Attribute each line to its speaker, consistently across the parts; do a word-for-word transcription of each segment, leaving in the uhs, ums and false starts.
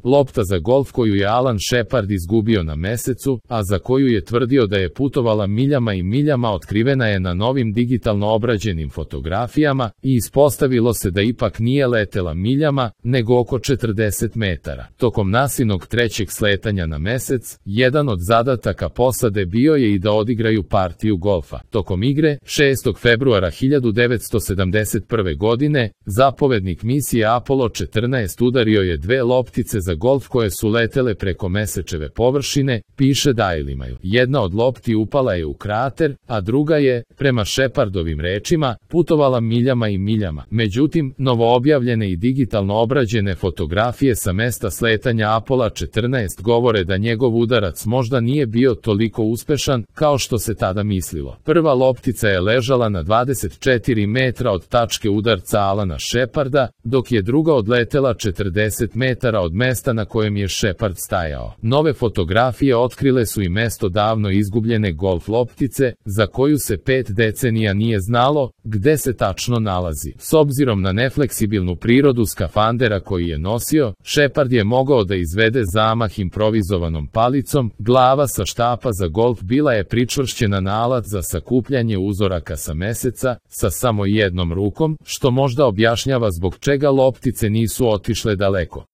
Speaker 1: lopta za golf koju je Alan Shepard izgubio na mesecu, a za koju je tvrdio da je putovala miljama i miljama, otkrivena je na novim digitalno obrađenim fotografijama i ispostavilo se da ipak nije letela miljama, nego oko četrdeset metara. Tokom Nasinog trećeg sletanja na mesec, jedan od zadataka posade bio je i da odigraju partiju golfa. Tokom igre, šestog februara hiljadu devetsto sedamdeset prve godine, zapovednik misije Apollo četrnaest udario je dve loptice za golf koje su letele preko mesečeve površine, piše Daily Mail. Jedna od lopti upala je u krater, a druga je, prema Shepardovim rečima, putovala miljama i miljama. Međutim, novoobjavljene i digitalno obrađene fotografije sa mesta sletanja Apollo četrnaest govore da njegov udarac možda nije bio toliko uspešan kao što se tada mislilo. Prva loptica je ležala na dvadeset četiri metra od tačke udarca Alana Sheparda, dok je druga odletela četrdeset metara od mesta na kojem je Shepard stajao. Nove fotografije otkrile su i mesto davno izgubljene golf loptice, za koju se pet decenija nije znalo gde se tačno nalazi. S obzirom na nefleksibilnu prirodu skafandera koji je nosio, Shepard je mogao da izvede zamah improvizovanom palicom, glava sa štapa za golf bila je pričvršćena na alat za sakupljanje uzoraka sa meseca, sa samo jednom rukom, što možda objašnjava zbog čega loptice nisu otišle daleko.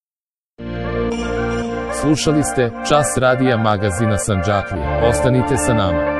Speaker 1: Slušali ste Čas radija magazina Sandžaklija. Ostanite sa nama.